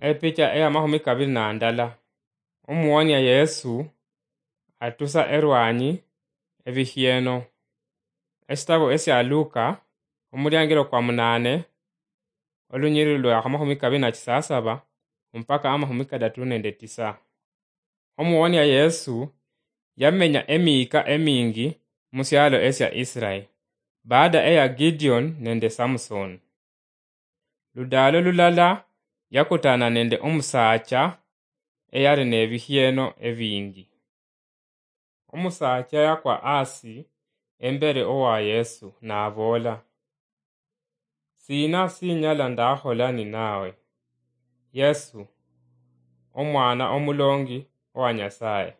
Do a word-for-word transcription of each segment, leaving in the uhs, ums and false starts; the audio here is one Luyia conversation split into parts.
Epicha eya mahumi kabiri na ndala. Omuwonia Yesu atusa erwanyi ebikhieno. Esitabu esia Luka, omuliangiro kwa munane, olunyiriri lwa mahumi kabiri na chisasaba mpaka amahumi kadatu nende tisa. Omuwonia Yesu yamenya emiika emingi musialo esia Israel, baada eya Gideon nende Samson. Ludaalo lulala yakutana nende omusaacha eyali nebikhieno ebingi. Omusaacha yakwa asi embere owa Yesu naboola, "Sina sinyala ndakhola ninawe, Yesu, omwana omulongi owa Nyasaye?"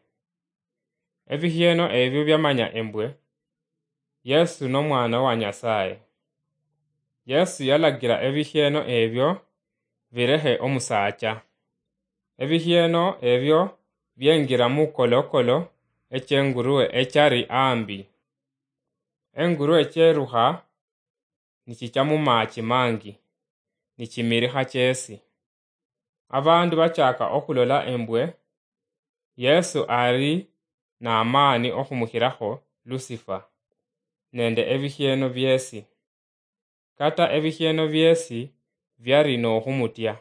Ebikhieno ebyo byamanya embwe Yesu nomwana wa Nyasaye. Yesu yalagira ebikhieno ebyo birekhe omusaacha. Ebikhieno ebyo byengira mukolokolo echenguruwe echari ambi. Enguruwe cherukha nichicha mumachi mangi, nichimirikha chesi. Abandu bachaka okhulola embwe Yesu ari namaani okhumukhirakho Lusifa nende ebikhieno biesi. Kata ebikhieno biesi biari nokhumutya.